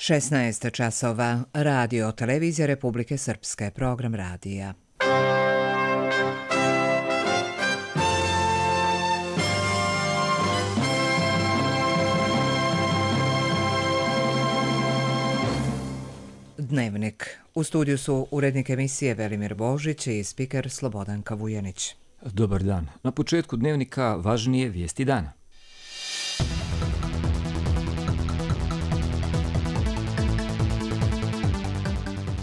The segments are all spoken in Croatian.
16 časova, radio, televizija Republike Srpske, program radija. Dnevnik. U studiju su urednik emisije Velimir Božić i spiker Slobodanka Vujanić. Dobar dan. Na početku dnevnika važnije vijesti dana.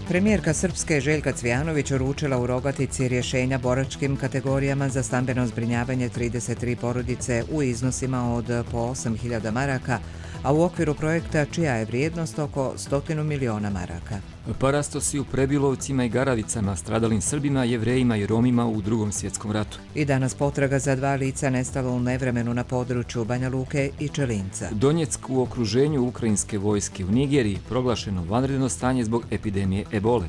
Premijerka Srpske Željka Cvijanović uručila u Rogatici rješenja boračkim kategorijama za stambeno zbrinjavanje 33 porodice u iznosima od po 8.000 maraka, a u okviru projekta čija je vrijednost oko 100 miliona maraka. Parastosi u Prebilovcima i Garavicama stradalim Srbima, Jevrejima i Romima u Drugom svjetskom ratu. I danas potraga za 2 lica nestala u nevremenu na području Banja Luke i Čelinca. Donjeck u okruženju ukrajinske vojske. U Nigeriji proglašeno vanredno stanje zbog epidemije ebole.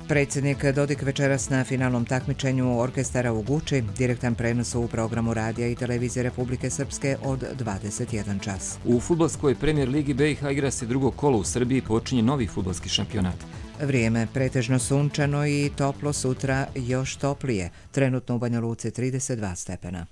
Predsjednik Dodik večeras na finalnom takmičenju orkestara u Guči, direktan prenos u programu radija i televizije Republike Srpske od 21 čas. U fudbalskoj premijer ligi BiH igra se drugo kolo u Srbiji, počinje novi fudbalski šampionat. Vrijeme pretežno sunčano i toplo, sutra još toplije, trenutno u Banja Luci 32 stepena.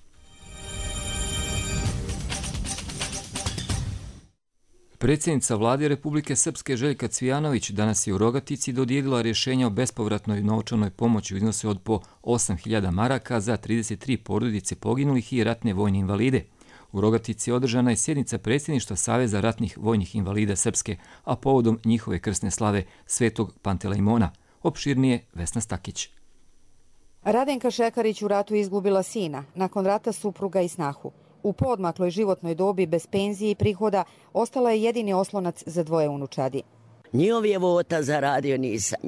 Predsjednica Vlade Republike Srpske Željka Cvijanović danas je u Rogatici dodijelila rješenja o bespovratnoj novčanoj pomoći u iznosu od po 8.000 maraka za 33 porodice poginulih i ratne vojne invalide. U Rogatici održana je sjednica predsjedništva Saveza ratnih vojnih invalida Srpske, a povodom njihove krsne slave Svetog Pantelejmona. Opširnije Vesna Stakić. Radenka Šekarić u ratu izgubila sina, nakon rata supruga i snahu. U poodmakloj životnoj dobi bez penzije i prihoda ostala je jedini oslonac za 2 unučadi. Njihov je vota zaradio, nisam.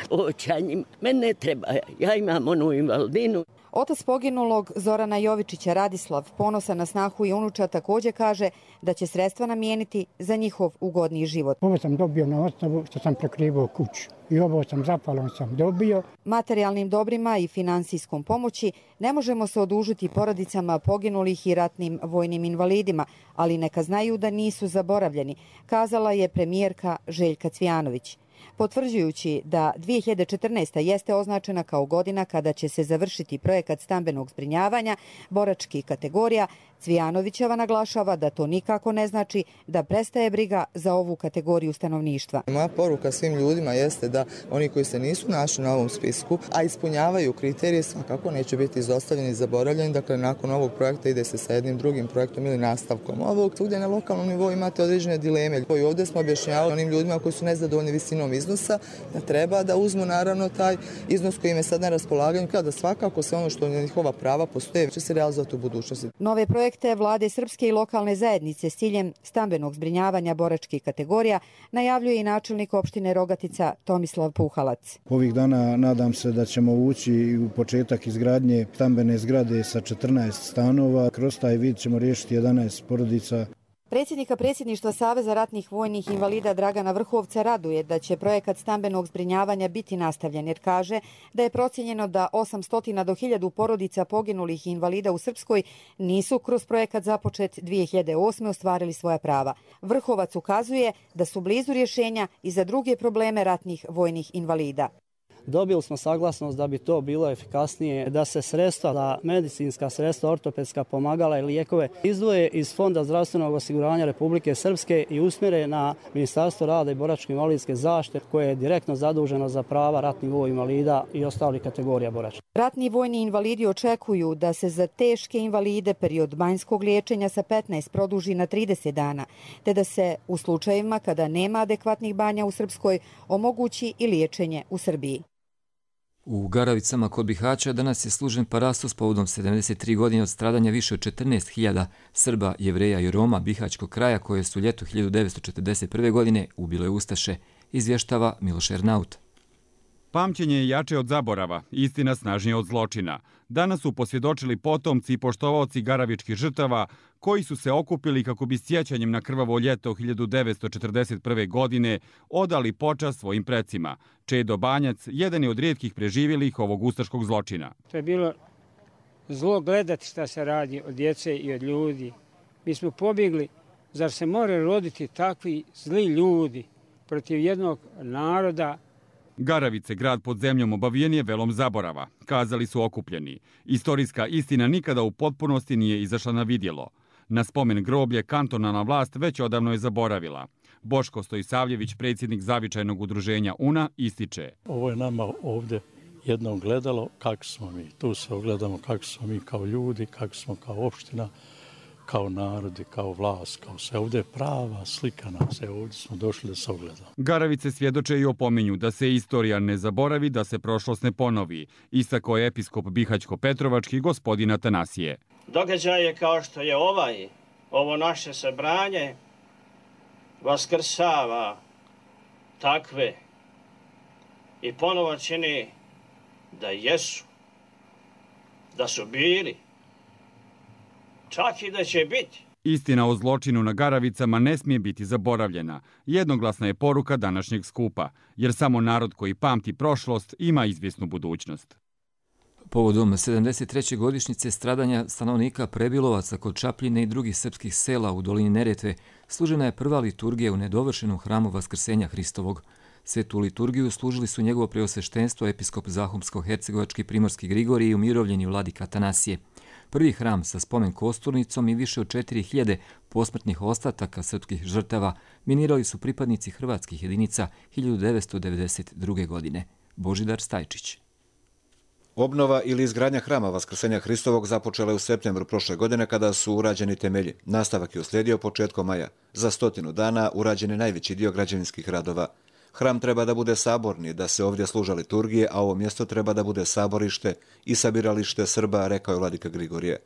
Oća njim, mene ne treba, ja imam onu invalidinu. Otac poginulog Zorana Jovičića Radislav, ponosan na snahu i unuča, također kaže da će sredstva namijeniti za njihov ugodniji život. Ovo sam dobio na osnovu što sam prekrivao kuću i ovo sam zapalom sam dobio. Materijalnim dobrima i finansijskom pomoći ne možemo se odužiti porodicama poginulih i ratnim vojnim invalidima, ali neka znaju da nisu zaboravljeni, kazala je premijerka Željka Cvijanović. Potvrđujući da 2014. jeste označena kao godina kada će se završiti projekat stambenog zbrinjavanja boračkih kategorija, Cvijanovićeva naglašava da to nikako ne znači da prestaje briga za ovu kategoriju stanovništva. Moja poruka svim ljudima jeste da oni koji se nisu našli na ovom spisku, a ispunjavaju kriterije, svakako neće biti izostavljeni i zaboravljeni. Dakle, nakon ovog projekta ide se sa jednim drugim projektom ili nastavkom ovog. Svugdje na lokalnom nivou imate određene dileme. I ovdje smo objašnjavali onim ljudima koji su nezadovoljni visinom iznosa da treba da uzmu naravno taj iznos koji im je sad na raspolaganju, kada svakako sve ono što njihova prava postoje će se realizovati u budućnosti. Nove projekte Vlade Srpske i lokalne zajednice s ciljem stambenog zbrinjavanja boračkih kategorija najavljuje i načelnik opštine Rogatica Tomislav Puhalac. Ovih dana nadam se da ćemo ući u početak izgradnje stambene zgrade sa 14 stanova. Kroz taj vid ćemo riješiti 11 porodica. Predsjednika predsjedništva Saveza ratnih vojnih invalida Dragana Vrhovca raduje da će projekat stambenog zbrinjavanja biti nastavljen, jer kaže da je procijenjeno da 800 do 1000 porodica poginulih invalida u Srpskoj nisu kroz projekat započet 2008. ostvarili svoja prava. Vrhovac ukazuje da su blizu rješenja i za druge probleme ratnih vojnih invalida. Dobili smo saglasnost da bi to bilo efikasnije, da se sredstva, da medicinska sredstva, ortopedska pomagala i lijekove izdvoje iz Fonda zdravstvenog osiguranja Republike Srpske i usmjere na Ministarstvo rada i boračko-invalidske zaštite koje je direktno zaduženo za prava ratnih vojnih invalida i ostalih kategorija borača. Ratni vojni invalidi očekuju da se za teške invalide period banjskog liječenja sa 15 produži na 30 dana, te da se u slučajevima kada nema adekvatnih banja u Srpskoj omogući i liječenje u Srbiji. U Garavicama kod Bihaća danas je služen parastos povodom 73 godine od stradanja više od 14.000 Srba, Jevreja i Roma Bihaćkog kraja koje su ljeto 1941. godine ubile ustaše, izvještava Miloš Ernaut. Pamćenje je jače od zaborava, istina snažnije od zločina. Danas su posvjedočili potomci i poštovaoci garavičkih žrtava koji su se okupili kako bi sjećanjem na krvavo ljeto 1941. godine odali počast svojim precima. Čedo Banjac jedan je od rijetkih preživjelih ovog ustaškog zločina. To je bilo zlo gledati šta se radi od djece i od ljudi. Mi smo pobjegli, zar se more roditi takvi zli ljudi protiv jednog naroda. Garavice, grad pod zemljom, obavijen je velom zaborava, kazali su okupljeni. Istorijska istina nikada u potpunosti nije izašla na vidjelo. Na spomen groblje kantonalna vlast već odavno je zaboravila. Boško Stojisavljević, predsjednik zavičajnog udruženja UNA, ističe. Ovo je nama ovdje jedno ogledalo kako smo mi. Tu se ogledamo kako smo mi kao ljudi, kako smo kao opština, kao narodi, kao vlast, kao sve. Ovdje je prava slika nas. Evo, ovdje smo došli da se ogledamo. Garavice svjedoče i opominju da se istorija ne zaboravi, da se prošlost ne ponovi. Istakao je episkop Bihaćko-Petrovački gospodin Atanasije. Događaje kao što je ovo naše sabranje, vaskrsava takve i ponovo čini da jesu, da su bili, čak i da će biti. Istina o zločinu na Garavicama ne smije biti zaboravljena. Jednoglasna je poruka današnjeg skupa, jer samo narod koji pamti prošlost ima izvjesnu budućnost. Povodom 73. godišnjice stradanja stanovnika Prebilovaca kod Čapljine i drugih srpskih sela u dolini Neretve služena je prva liturgija u nedovršenom hramu Vaskrsenja Hristovog. Svetu liturgiju služili su njegovo preosveštenstvo episkop Zahumsko-hercegovački primorski Grigorij i umirovljeni vladika Atanasije. Prvi hram sa spomen kosturnicom i više od 4000 posmrtnih ostataka srpskih žrtava minirali su pripadnici hrvatskih jedinica 1992. godine. Božidar Stajčić. Obnova ili izgradnja hrama Vaskrsenja Hristovog započela je u septembru prošle godine kada su urađeni temelji. Nastavak je uslijedio početkom maja. Za 100 dana urađen je najveći dio građevinskih radova. Hram treba da bude saborni, da se ovdje služa liturgije, a ovo mjesto treba da bude saborište i sabiralište Srba, rekao je vladika Grigorije.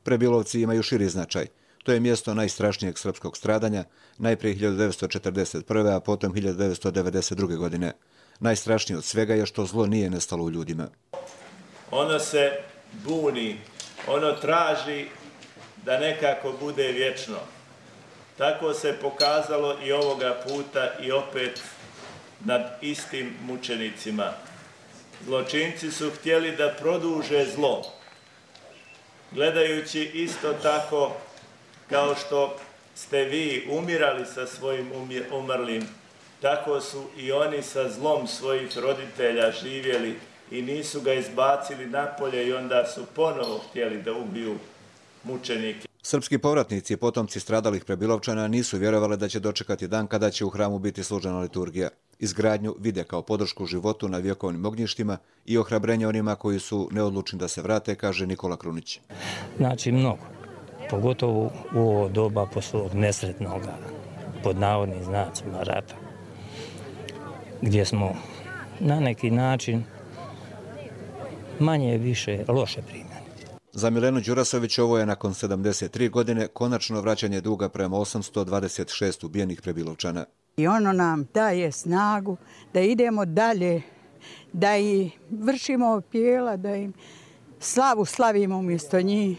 Prebilovci imaju širi značaj. To je mjesto najstrašnijeg srpskog stradanja, najprije 1941. a potom 1992. godine. Najstrašnije od svega je što zlo nije nestalo u ljudima. Ono se buni, ono traži da nekako bude vječno. Tako se pokazalo i ovoga puta i opet nad istim mučenicima. Zločinci su htjeli da produže zlo, gledajući isto tako kao što ste vi umirali sa svojim umrlim, tako su i oni sa zlom svojih roditelja živjeli i nisu ga izbacili napolje i onda su ponovo htjeli da ubiju mučenike. Srpski povratnici i potomci stradalih Prebilovčana nisu vjerovali da će dočekati dan kada će u hramu biti služena liturgija. Izgradnju vide kao podršku životu na vjekovnim ognjištima i ohrabrenje onima koji su neodlučni da se vrate, kaže Nikola Krunić. Znači mnogo, pogotovo u ovo doba posle nesretnog, pod navodnim znacima, rata, gdje smo na neki način manje više loše primjeni. Za Milenu Đurasović ovo je nakon 73 godine konačno vraćanje duga prema 826 ubijenih Prebilovčana. I ono nam daje snagu da idemo dalje, da i vršimo pjela, da im slavu slavimo umjesto njih.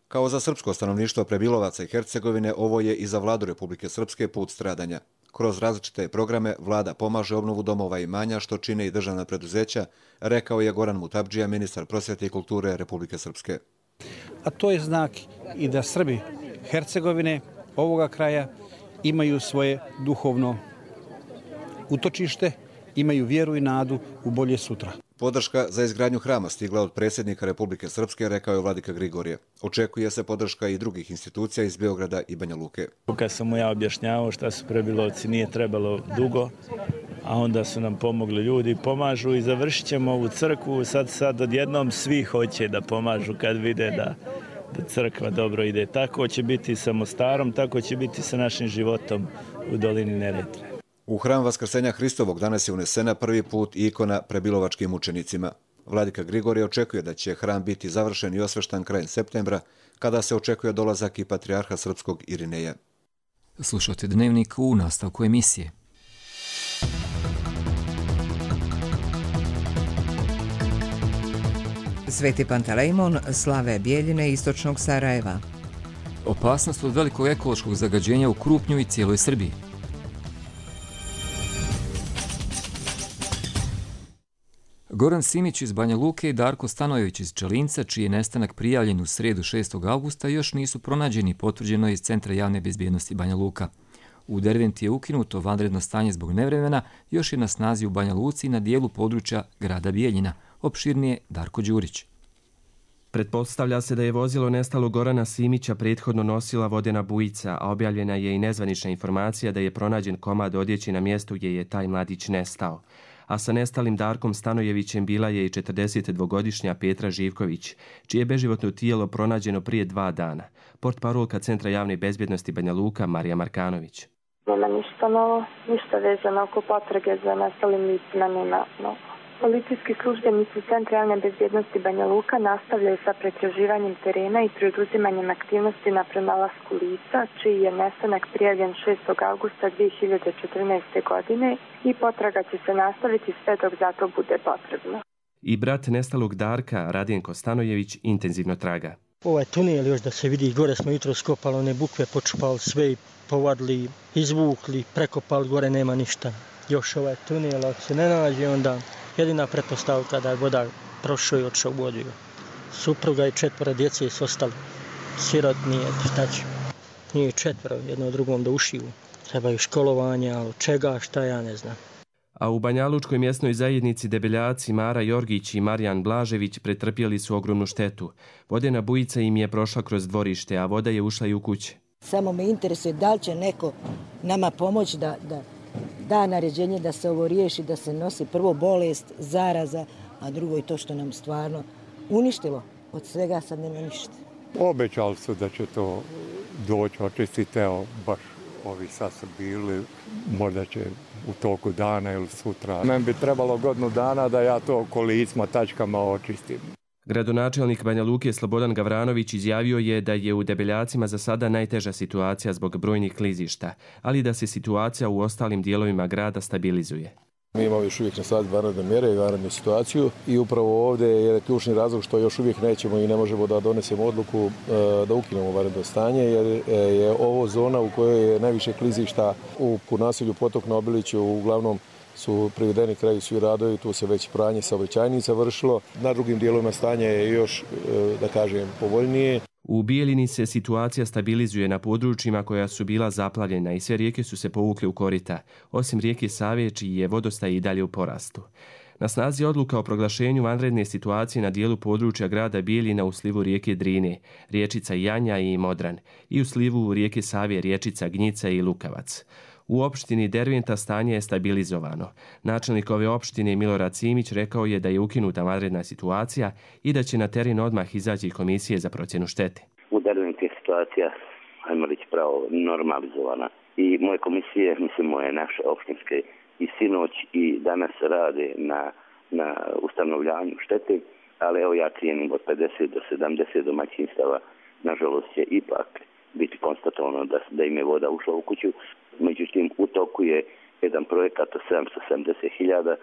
Kao za srpsko stanovništvo Prebilovaca i Hercegovine, ovo je i za vladu Republike Srpske put stradanja. Kroz različite programe vlada pomaže obnovu domova i imanja, što čine i državna preduzeća, rekao je Goran Mutabdžija, ministar prosvjete i kulture Republike Srpske. A to je znak i da Srbi Hercegovine ovoga kraja imaju svoje duhovno utočište, imaju vjeru i nadu u bolje sutra. Podrška za izgradnju hrama stigla od predsjednika Republike Srpske, rekao je vladika Grigorije. Očekuje se podrška i drugih institucija iz Beograda i Banja Luke. Kad sam mu ja objašnjavao šta su Prebilovci, nije trebalo dugo, a onda su nam pomogli ljudi, pomažu i završit ćemo ovu crkvu. Sad odjednom svi hoće da pomažu kad vide da crkva dobro ide. Tako će biti sa Mostarom, tako će biti sa našim životom u dolini Neretve. U hram Vaskrsenja Hristovog danas je unesena prvi put ikona Prebilovačkim mučenicima. Vladika Grigorije očekuje da će hram biti završen i osveštan krajem septembra, kada se očekuje dolazak i patrijarha srpskog Irineja. Slušate Dnevnik u nastavku emisije. Sveti Pantelejmon slave Bijeljine istočnog Sarajeva. Opasnost od velikog ekološkog zagađenja u Krupnju i cijeloj Srbiji. Goran Simić iz Banja Luke i Darko Stanojević iz Čelinca, čiji je nestanak prijavljen u srijedu 6. augusta, još nisu pronađeni, potvrđeno je iz Centra javne bezbjednosti Banja Luka. U Derventi je ukinuto vanredno stanje zbog nevremena, još je na snazi u Banja Luci i na dijelu područja grada Bijeljina. Opširnije Darko Đurić. Pretpostavlja se da je vozilo nestalo Gorana Simića prethodno nosila vodena bujica, a objavljena je i nezvanična informacija da je pronađen komad odjeći na mjestu gdje je taj mladić nestao. A sa nestalim Darkom Stanojevićem bila je i 42-godišnja Petra Živković, čije beživotno tijelo pronađeno prije 2 dana. Portparolka Centra javne bezbjednosti Banja Luka Marija Markanović. Nema ništa novo, ništa vezano oko potrage za nestalim licima, nema novo. Policijski službenici Centra javne bezbjednosti Banja Luka nastavljaju sa pretraživanjem terena i preduzimanjem aktivnosti na pronalasku lica, čiji je nestanak prijavljen 6. augusta 2014. godine i potraga će se nastaviti sve dok za to bude potrebno. I brat nestalog Darka, Radjenko Stanojević, intenzivno traga. Ovaj tunel još da se vidi, gore smo jutro skopali, one bukve počupali sve i povadili, izvukli, prekopali, gore nema ništa. Još ovaj tunel, ako se ne nađe, onda jedina pretpostavka da je voda prošao i odšao u vodu. Supruga i 4 djece su ostali sirotni, šta će. Nije 4, jedno drugom da ušiju. Trebaju školovanje, ali čega, šta ja ne znam. A u Banjalučkoj mjesnoj zajednici Debeljaci Mara Jorgić i Marijan Blažević pretrpjeli su ogromnu štetu. Vodena bujica im je prošla kroz dvorište, a voda je ušla i u kuće. Samo me interesuje da li će neko nama pomoći da naređenje da se ovo riješi, da se nosi prvo bolest, zaraza, a drugo i to što nam stvarno uništilo. Od svega sad nema ništa. Obećali su da će to doći očistiti, evo baš ovi sad su bili, možda će u toku dana ili sutra. Meni bi trebalo godinu dana da ja to kolicima, tačkama očistim. Gradonačelnik Banja Luke Slobodan Gavranović izjavio je da je u Debeljacima za sada najteža situacija zbog brojnih klizišta, ali da se situacija u ostalim dijelovima grada stabilizuje. Mi imamo još uvijek na snazi vanredne mjere i vanrednu situaciju i upravo ovdje je ključni razlog što još uvijek nećemo i ne možemo da donesemo odluku da ukinemo vanredno stanje, jer je ovo zona u kojoj je najviše klizišta u naselju Potok na Obiliću. Uglavnom su privedeni kraju svi radovi, tu se već pranje saobraćajnica vršilo. Na drugim dijelovima stanje je još, da kažem, povoljnije. U Bijeljini se situacija stabilizuje na područjima koja su bila zaplavljena i sve rijeke su se povukle u korita, osim rijeke Save, čiji je vodostaj i dalje u porastu. Na snazi odluka o proglašenju vanredne situacije na dijelu područja grada Bijeljina u slivu rijeke Drine, riječica Janja i Modran, i u slivu rijeke Save, riječica Gnjica i Lukavac. U opštini Derventa stanje je stabilizovano. Načelnik ove opštine Milorad Simić rekao je da je ukinuta vanredna situacija i da će na teren odmah izaći komisije za procjenu štete. U Derventi je situacija, ajmo reći pravo, normalizovana. I moje komisije, mislim moje naše opštinske, i sinoć i danas rade na ustanovljanju štete, ali evo ja cijenim od 50 do 70 domaćinstava, nažalost će ipak biti konstatovano da im je voda ušla u kuću. Međutim, u toku je jedan projekat od 770.000,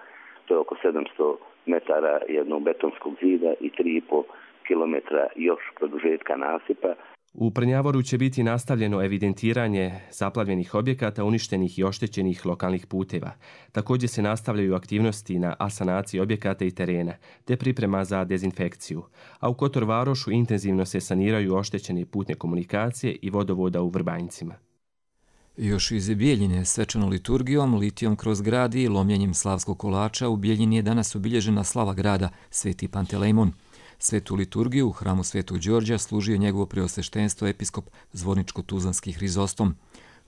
to je oko 700 metara jednog betonskog zida i 3,5 kilometra još produžetka nasipa. U Prnjavoru će biti nastavljeno evidentiranje zaplavljenih objekata, uništenih i oštećenih lokalnih puteva. Također se nastavljaju aktivnosti na asanaciji objekata i terena, te priprema za dezinfekciju. A u Kotor Varošu intenzivno se saniraju oštećene putne komunikacije i vodovoda u Vrbanjcima. Još iz Bijeljine svečanom liturgijom, litijom kroz grad i lomljenjem slavskog kolača u Bijeljini je danas obilježena slava grada Sveti Pantelejmon. Svetu liturgiju u hramu Svetog Đorđa služio njegovo preosveštenstvo episkop Zvorničko-Tuzlanski Hrizostom.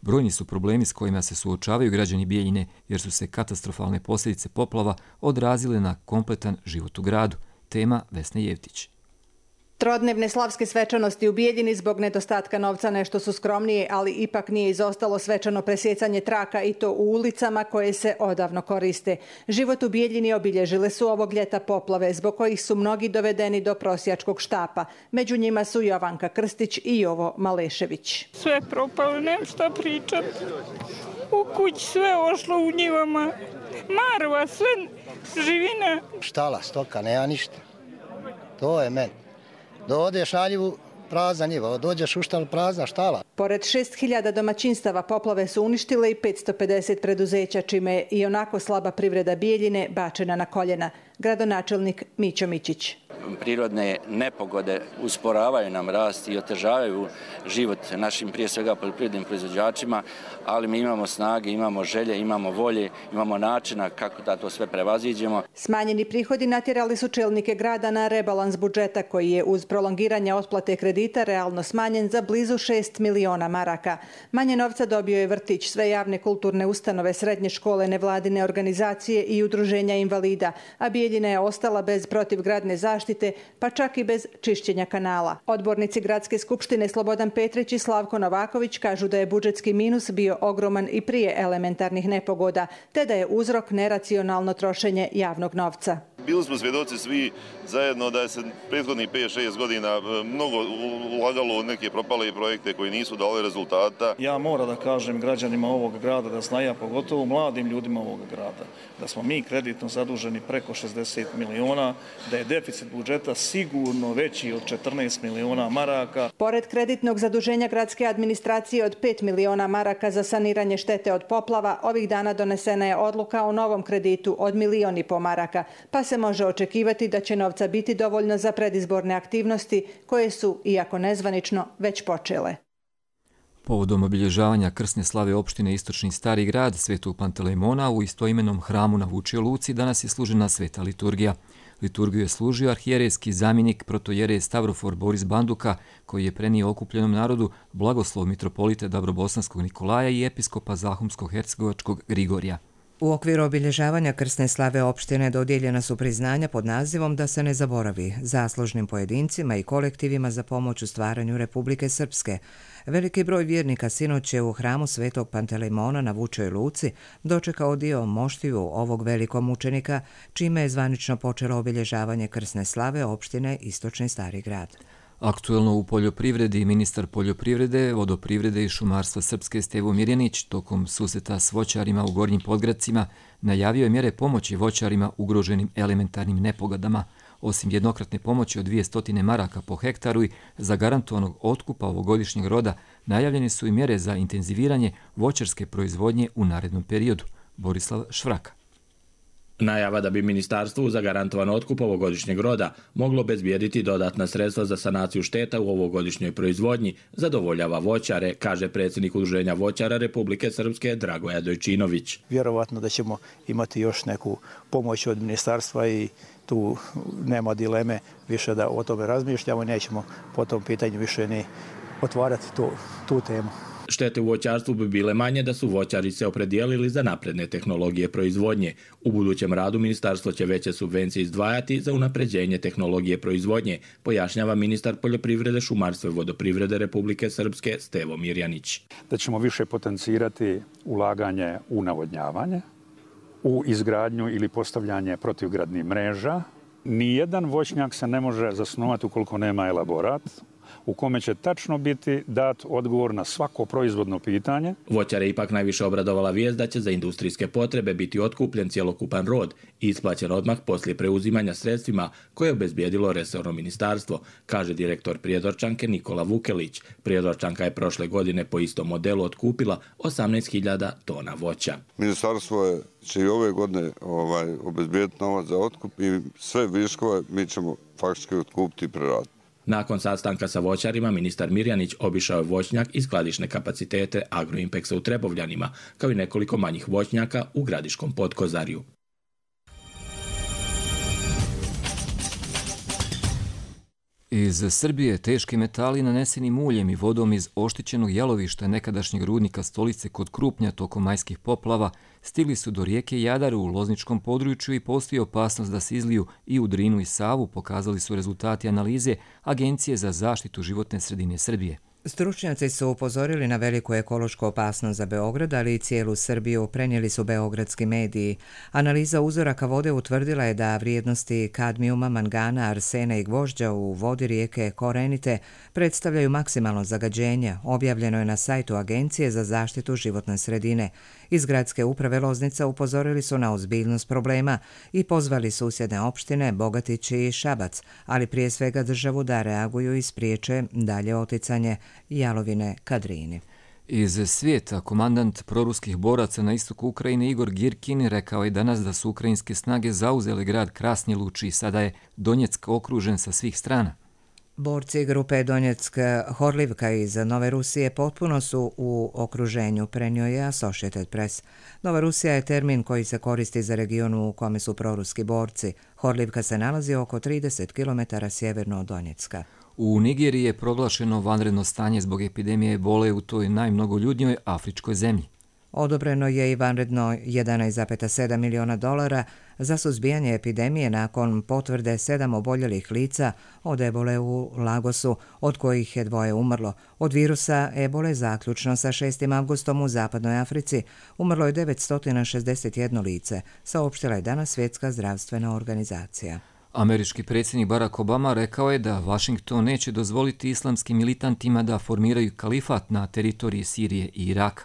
Brojni su problemi s kojima se suočavaju građani Bijeljine jer su se katastrofalne posljedice poplava odrazile na kompletan život u gradu. Tema Vesne Jevtić. Trodnevne slavske svečanosti u Bijeljini zbog nedostatka novca nešto su skromnije, ali ipak nije izostalo svečano presjecanje traka i to u ulicama koje se odavno koriste. Život u Bijeljini obilježile su ovog ljeta poplave zbog kojih su mnogi dovedeni do prosjačkog štapa. Među njima su Jovanka Krstić i Jovo Malešević. Sve propalo, nemam šta pričat. U kući sve ošlo u njivama. Marva, sve živina. Štala, stoka, nema ništa. To je meni. Dođeš na njivu, prazna njiva, dođeš u štalu, prazna štala. Pored 6.000 domaćinstava poplave su uništile i 550 preduzeća, čime je i onako slaba privreda Bijeljine bačena na koljena. Gradonačelnik Mićo Mićić. prirodne nepogode usporavaju nam rast i otežavaju život našim prije svega poljoprivrednim proizvođačima, ali mi imamo snage, imamo želje, imamo volje, imamo načina kako da to sve prevaziđemo. Smanjeni prihodi natjerali su čelnike grada na rebalans budžeta koji je uz prolongiranje otplate kredita realno smanjen za blizu 6 miliona maraka. Manje novca dobio je vrtić, sve javne kulturne ustanove, srednje škole, nevladine organizacije i udruženja invalida, a Bijeljina je ostala bez protivgradne zaštite, pa čak i bez čišćenja kanala. Odbornici Gradske skupštine Slobodan Petrić i Slavko Novaković kažu da je budžetski minus bio ogroman i prije elementarnih nepogoda, te da je uzrok neracionalno trošenje javnog novca. Bili smo svjedoci svi zajedno da je se prethodnih 5-6 godina mnogo ulagalo u neke propale projekte koji nisu dali rezultata. Ja moram da kažem građanima ovog grada da znaju, pogotovo mladim ljudima ovog grada, da smo mi kreditno zaduženi preko 60 miliona, da je deficit budžeta sigurno veći od 14 miliona maraka. Pored kreditnog zaduženja gradske administracije od 5 miliona maraka za saniranje štete od poplava, ovih dana donesena je odluka o novom kreditu od 1,5 miliona maraka, pa se može očekivati da će novca biti dovoljno za predizborne aktivnosti koje su, iako nezvanično, već počele. Povodom obilježavanja krsne slave opštine Istočni Stari grad Svetog Pantelejmona u istoimenom hramu na Vučjoj Luci danas je služena sveta liturgija. Liturgiju je služio arhijerejski zamjenik protojereje Stavrofor Boris Banduka, koji je prenio okupljenom narodu blagoslov mitropolite Dabrobosanskog Nikolaja i episkopa Zahumsko-hercegovačkog Grigorija. U okviru obilježavanja krsne slave opštine dodijeljena su priznanja pod nazivom Da se ne zaboravi zaslužnim pojedincima i kolektivima za pomoć u stvaranju Republike Srpske. Veliki broj vjernika sinoć je u hramu Svetog Pantelejmona na Vučjoj Luci dočekao dio moštiju ovog velikog mučenika, čime je zvanično počelo obilježavanje krsne slave opštine Istočni Stari grad. Aktuelno u poljoprivredi ministar poljoprivrede, vodoprivrede i šumarstva Srpske Stevo Mirjanić tokom susreta s voćarima u Gornjim Podgradcima najavio je mjere pomoći voćarima ugroženim elementarnim nepogodama. Osim jednokratne pomoći od 200 maraka po hektaru i zagarantovanog otkupa ovogodišnjeg roda, najavljene su i mjere za intenziviranje voćarske proizvodnje u narednom periodu. Borislav Švraka. Najava da bi ministarstvo uz zagarantovan otkup ovogodišnjeg roda moglo obezbijediti dodatna sredstva za sanaciju šteta u ovogodišnjoj proizvodnji zadovoljava voćare, kaže predsjednik Udruženja voćara Republike Srpske Dragoja Dojčinović. Vjerovatno da ćemo imati još neku pomoć od ministarstva i tu nema dileme više da o tome razmišljamo i nećemo po tom pitanju više ni otvarati tu temu. Štete u voćarstvu bi bile manje da su voćari se opredijelili za napredne tehnologije proizvodnje. U budućem radu ministarstvo će veće subvencije izdvajati za unapređenje tehnologije proizvodnje, pojašnjava ministar poljoprivrede, šumarstva i vodoprivrede Republike Srpske Stevo Mirjanić. Da ćemo više potencirati ulaganje u navodnjavanje, u izgradnju ili postavljanje protivgradnih mreža. Nijedan voćnjak se ne može zasnovati ukoliko nema elaborat u kome će tačno biti dat odgovor na svako proizvodno pitanje. Voćare ipak najviše obradovala vijest da će za industrijske potrebe biti otkupljen cjelokupan rod i isplaćen odmah poslije preuzimanja sredstvima koje je obezbijedilo resorno ministarstvo, kaže direktor Prijedorčanke Nikola Vukelić. Prijedorčanka je prošle godine po istom modelu otkupila 18.000 tona voća. Ministarstvo će i ove godine obezbijediti novac za otkup i sve viškove mi ćemo faktički otkupiti i preraditi. Nakon sastanka sa voćarima, ministar Mirjanić obišao je voćnjak i skladišne kapacitete Agroimpeksa u Trebovljanima, kao i nekoliko manjih voćnjaka u Gradiškom Podkozarju. Iz Srbije teški metali naneseni muljem i vodom iz oštećenog jalovišta nekadašnjeg rudnika Stolice kod Krupnja tokom majskih poplava stigli su do rijeke Jadar u Lozničkom području i postoji opasnost da se izliju i u Drinu i Savu, pokazali su rezultati analize Agencije za zaštitu životne sredine Srbije. Stručnjaci su upozorili na veliku ekološku opasnost za Beograd, ali i cijelu Srbiju, prenijeli su beogradski mediji. Analiza uzoraka vode utvrdila je da vrijednosti kadmijuma, mangana, arsena i gvožđa u vodi rijeke Korenite predstavljaju maksimalno zagađenje, objavljeno je na sajtu Agencije za zaštitu životne sredine. Iz gradske uprave Loznica upozorili su na ozbiljnost problema i pozvali susjedne opštine Bogatić i Šabac, ali prije svega državu da reaguju i spriječe dalje oticanje jalovine ka Drini. Iz svijeta, komandant proruskih boraca na istoku Ukrajine Igor Girkin rekao je danas da su ukrajinske snage zauzele grad Krasni Luč i sada je Donjeck okružen sa svih strana. Borci grupe Donjeck Horlivka iz Nove Rusije potpuno su u okruženju, prenio je Associated Press. Nova Rusija je termin koji se koristi za region u kome su proruski borci. Horlivka se nalazi oko 30 km sjeverno od Donjecka. U Nigeriji je proglašeno vanredno stanje zbog epidemije ebole u toj najmnogoljudnijoj afričkoj zemlji. Odobreno je i vanredno $1,7 miliona za suzbijanje epidemije nakon potvrde 7 oboljelih lica od ebole u Lagosu, od kojih je 2 umrlo. Od virusa ebole zaključno sa 6. avgustom u zapadnoj Africi umrlo je 961 lice, saopštila je danas Svjetska zdravstvena organizacija. Američki predsjednik Barack Obama rekao je da Washington neće dozvoliti islamskim militantima da formiraju kalifat na teritoriji Sirije i Iraka.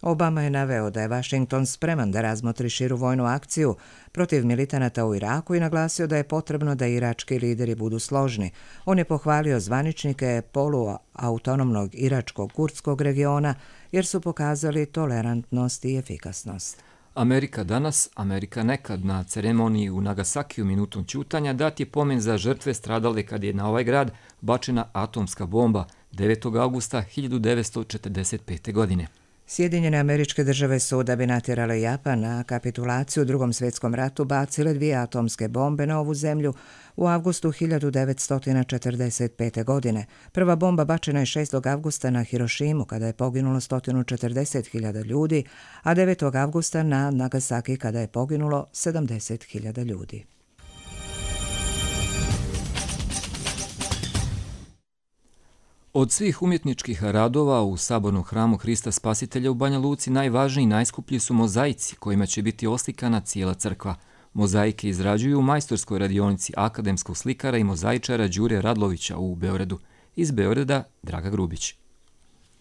Obama je naveo da je Washington spreman da razmotri širu vojnu akciju protiv militanata u Iraku i naglasio da je potrebno da irački lideri budu složni. On je pohvalio zvaničnike poluautonomnog iračkog kurdskog regiona jer su pokazali tolerantnost i efikasnost. Amerika danas, Amerika nekad. Na ceremoniji u Nagasakiju minutom ćutanja dat je pomen za žrtve stradale kad je na ovaj grad bačena atomska bomba 9. augusta 1945. godine. Sjedinjene Američke Države su, da bi natjerale Japan na kapitulaciju u Drugom svjetskom ratu, bacile 2 atomske bombe na ovu zemlju u avgustu 1945. godine. Prva bomba bačena je 6. avgusta na Hirošimu kada je poginulo 140.000 ljudi, a 9. avgusta na Nagasaki kada je poginulo 70.000 ljudi. Od svih umjetničkih radova u sabornom hramu Hrista Spasitelja u Banja Luci najvažniji i najskuplji su mozaici kojima će biti oslikana cijela crkva. Mozaike izrađuju u majstorskoj radionici akademskog slikara i mozaičara Đure Radlovića u Beogradu. Iz Beograda Draga Grubić.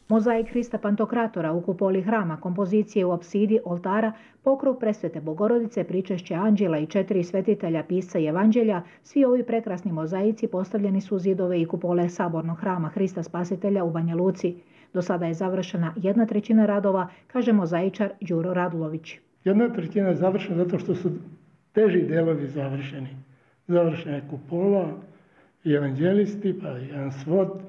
Mozaik Hrista Pantokratora u kupoli hrama, kompozicije u apsidi oltara, pokrov presvete Bogorodice, pričešće anđela i 4 svetitelja pisca i evanđelja, svi ovi prekrasni mozaici postavljeni su u zidove i kupole sabornog hrama Hrista Spasitelja u Banja Luci. Do sada je završena 1/3 radova, kaže mozaičar Đuro Radlović. 1/3 je završena zato što su teži delovi završeni. Završena je kupola i evanđelisti, pa jedan svod,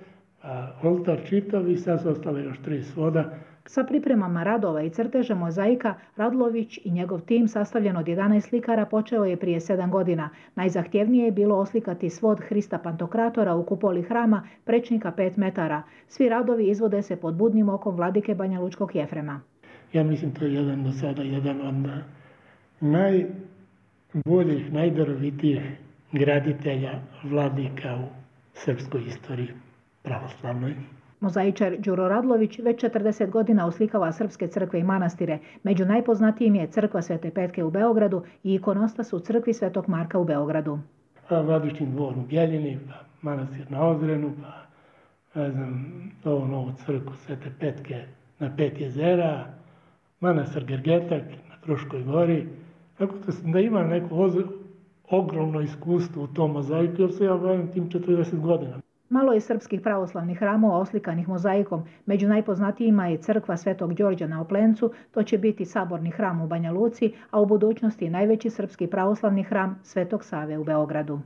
oltar čitav i sad su ostale još 3 svoda. Sa pripremama radova i crteža mozaika, Radlović i njegov tim, sastavljen od 11 slikara, počeo je prije 7 godina. Najzahtjevnije je bilo oslikati svod Hrista Pantokratora u kupoli hrama, prečnika 5 metara. Svi radovi izvode se pod budnim okom vladike Banjalučkog Jefrema. Ja mislim to je do sada jedan od najboljih, najdarovitijih graditelja vladika u srpskoj istoriji pravoslavnoj. Mozaičar Đuro Radlović već 40 godina oslikava srpske crkve i manastire. Među najpoznatijim je crkva Svete Petke u Beogradu i ikonostas u crkvi Svetog Marka u Beogradu. Vladičin dvor u Bjeljini, pa manastir na Ozrenu, pa ovu novu crkvu Svete Petke na 5 jezera, manastir Gergetak na Fruškoj gori. Tako da ima neko ogromno iskustvo u tom mozaiku, jer se ja bavim tim 40 godina. Malo je srpskih pravoslavnih hramova oslikanih mozaikom. Među najpoznatijima je crkva Svetog Đorđa na Oplencu, to će biti saborni hram u Banja Luci, a u budućnosti najveći srpski pravoslavni hram Svetog Save u Beogradu.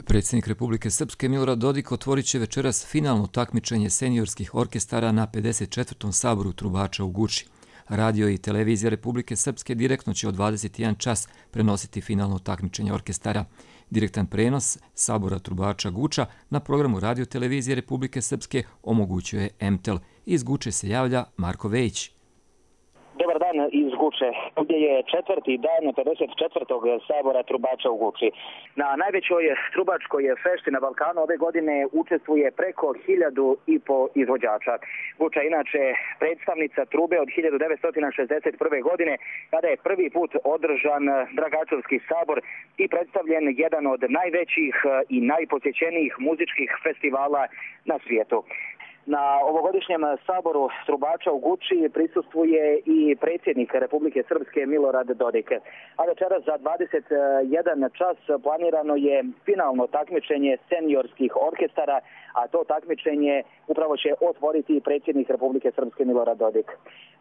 Predsjednik Republike Srpske Milorad Dodik otvorit će večeras finalno takmičenje seniorskih orkestara na 54. saboru trubača u Guči. Radio i televizija Republike Srpske direktno će od 21 čas prenositi finalno takmičenje orkestara. Direktan prenos sabora trubača Guča na programu Radio televizije Republike Srpske omogućuje MTEL. Iz Guče se javlja Marko Vejić. Dobar dan iz Guče. Ovdje je 4. dan 54. sabora trubača u Guči. Na najvećoj trubačkoj fešti na Balkanu ove godine učestvuje preko 1.500 izvođača. Guča je inače predstavnica trube od 1961. godine, kada je prvi put održan Dragačevski sabor i predstavljen jedan od najvećih i najposjećenijih muzičkih festivala na svijetu. Na ovogodišnjem saboru trubača u Guči prisustvuje i predsjednik Republike Srpske Milorad Dodik. A večeras za 21 čas planirano je finalno takmičenje seniorskih orkestara, a to takmičenje upravo će otvoriti predsjednik Republike Srpske Milorad Dodik.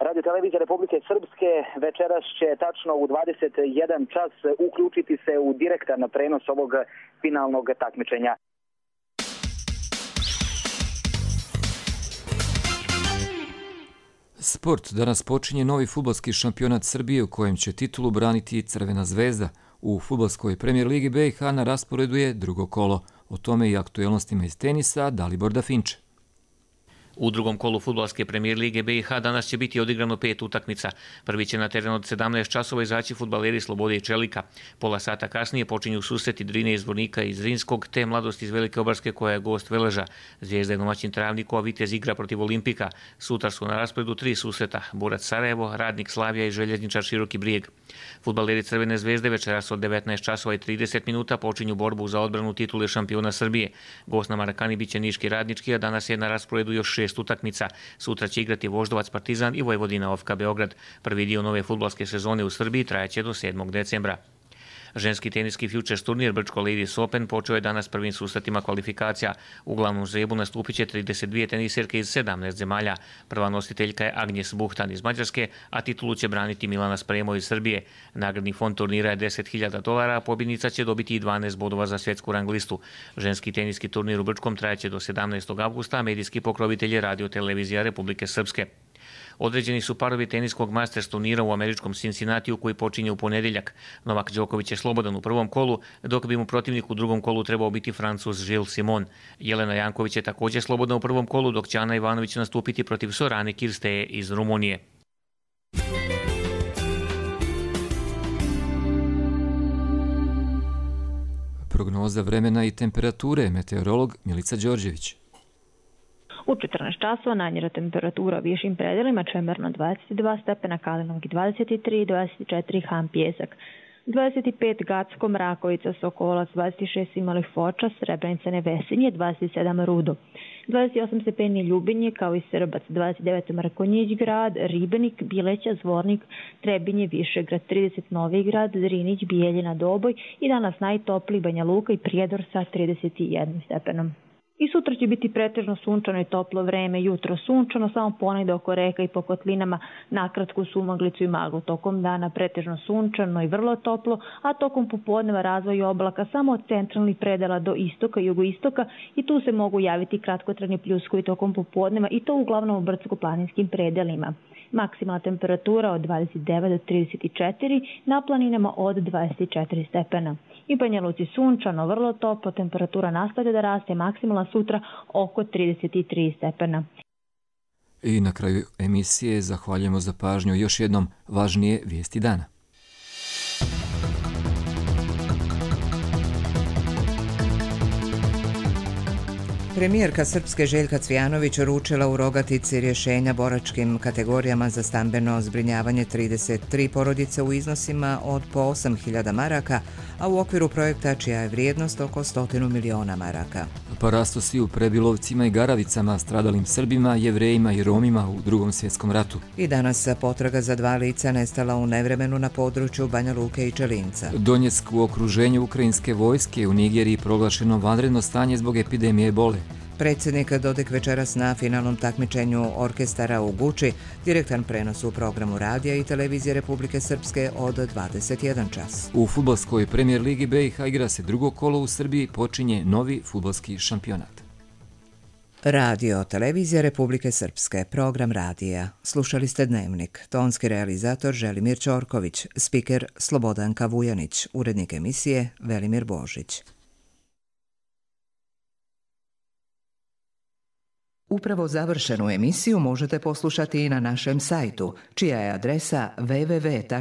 Radio televizija Republike Srpske večeras će tačno u 21 čas uključiti se u direktan prenos ovog finalnog takmičenja. Sport. Danas počinje novi fudbalski šampionat Srbije u kojem će titulu braniti Crvena zvezda. U fudbalskoj premijer ligi BiH na rasporedu je drugo kolo. O tome i aktuelnostima iz tenisa Dalibor Dafinče. U drugom kolu fudbalske premijer lige BiH danas će biti odigrano 5 utakmica. Prvi će na teren od 17 časova izaći fudbaleri Slobode i Čelika. Pola sata kasnije počinju susreti Drine iz Zvornika iz Zrinskog, te Mladost iz Velike Obarske koja je gost Veleža. Zvijezda je domaćin Travniku, a Vitez igra protiv Olimpika. Sutra su na rasporedu 3 susreta: Borac Sarajevo, Radnik Slavija i Željezničar Široki Brijeg. Fudbaleri Crvene zvezde večeras od 19 časova i 30 minuta počinju borbu za odbranu titule šampiona Srbije. Gost na Marakani biće Niški Radnički, a danas je na rasporedu još 6 utakmica. Sutra će igrati Voždovac Partizan i Vojvodina OFK Beograd. Prvi dio nove fudbalske sezone u Srbiji trajaće do 7. decembra. Ženski teniski Futures turnir Brčko Ladies Open počeo je danas prvim susretima kvalifikacija. U glavnom žrebu nastupit će 32 teniserke iz 17 zemalja. Prva nositeljka je Agnes Buhtan iz Mađarske, a titulu će braniti Milana Spremo iz Srbije. Nagradni fond turnira je $10.000, a pobjednica će dobiti i 12 bodova za svjetsku rang listu. Ženski teniski turnir u Brčkom trajaće do 17. avgusta, a medijski pokrovitelj je Radio televizija Republike Srpske. Određeni su parovi teniskog Masters turnira u američkom Cincinnatiju koji počinje u ponedjeljak. Novak Đoković je slobodan u prvom kolu, dok bi mu protivnik u drugom kolu trebao biti Francuz Gilles Simon. Jelena Janković je također slobodna u prvom kolu, dok će Ana Ivanović nastupiti protiv Sorane Kirsteje iz Rumunije. Prognoza vremena i temperature, meteorolog Milica Đorđević. U 14 časova najniža temperatura u višim predelima Čemerno 22 stepena, Kalinovki 23, 24 Han Pjesak, 25 Gacko, Mrakovica, Sokolac, 26 Simalih Foča, Srebrenica, Nevesinje, 27 Rudo, 28 stepeni Ljubinje kao i Srbac, 29 Mrkonjić grad, Ribenik, Bileća, Zvornik, Trebinje, Višegrad, 30 Novi grad, Zrinić, Bijeljina, Doboj i danas najtopliji Banja Luka i Prijedor sa 31 stepenom. I sutra će biti pretežno sunčano i toplo vreme, jutro sunčano, samo ponegde oko reka i po kotlinama, nakratku sumaglicu i maglu. Tokom dana pretežno sunčano i vrlo toplo, a tokom popodneva razvoj oblaka samo od centralnih predela do istoka i jugoistoka i tu se mogu javiti kratkotrajni pljuskovi tokom popodneva i to uglavnom u brdsko-planinskim predelima. Maksimalna temperatura od 29 do 34, na planinama od 24 stepena. I Banja Luci sunčano, vrlo toplo, temperatura nastavlja da raste, maksimalna sutra oko 33 stepena. I na kraju emisije zahvaljujemo za pažnju još jednom važnije vijesti dana. Premijerka Srpske Željka Cvijanović uručila u Rogatici rješenja boračkim kategorijama za stambeno zbrinjavanje 33 porodice u iznosima od po 8.000 maraka, a u okviru projekta čija je vrijednost oko 100 miliona maraka. Pa rastu svi u Prebilovcima i Garavicama, stradalim Srbima, Jevrejima i Romima u Drugom svjetskom ratu. I danas potraga za 2 lica nestala u nevremenu na području Banja Luke i Čelinca. Donjeck u okruženju ukrajinske vojske, u Nigeriji proglašeno vanredno stanje zbog epidemije ebole. Predsjednik Dodik večeras na finalnom takmičenju orkestara u Guči, direktan prenos u programu radija i televizije Republike Srpske od 21 čas. U fudbalskoj premijer ligi BiH igra se drugo kolo, u Srbiji počinje novi fudbalski šampionat. Radio, televizija Republike Srpske, program radija. Slušali ste Dnevnik, tonski realizator Želimir Ćorković, spiker Slobodanka Vujanić, urednik emisije Velimir Božić. Upravo završenu emisiju možete poslušati i na našem sajtu, čija je adresa www.rtrs.tv.